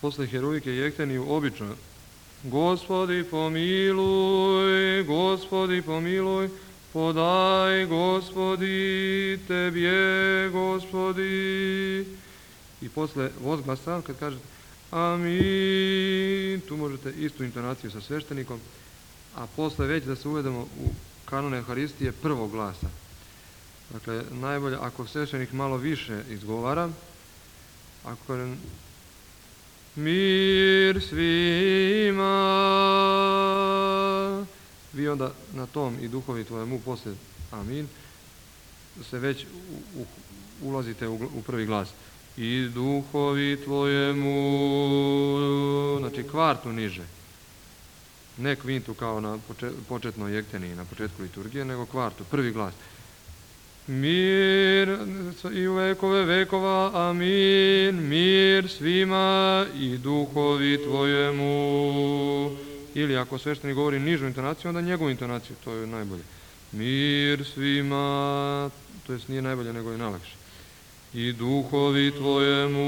Posle heroike jekteniju obično Gospodi pomiluj, Gospodi pomiluj, podaj Gospodi, Tebje Gospodi. I posle vozglasa, kad kažete amin, tu možete istu intonaciju sa sveštenikom, a posle već da se uvedemo u kanon Euharistije prvog glasa. Dakle, najbolje ako sveštenik malo više izgovara, ako mir svima, vi onda na tom i duhovi tvojemu posle amin se već ulazite u prvi glas. I duhovi tvojemu, znači kvartu niže, ne kvintu kao na početnoj jekteniji, na početku liturgije, nego kvartu, prvi glas. Mir i u vekove vekova, amin, mir svima i duhovi tvojemu. Ili ako sveštenik govori nižu intonaciju, onda njegovu intonaciju, to je najbolje. Mir svima, to jest nije najbolje, nego je najlakše. I duhovi tvojemu.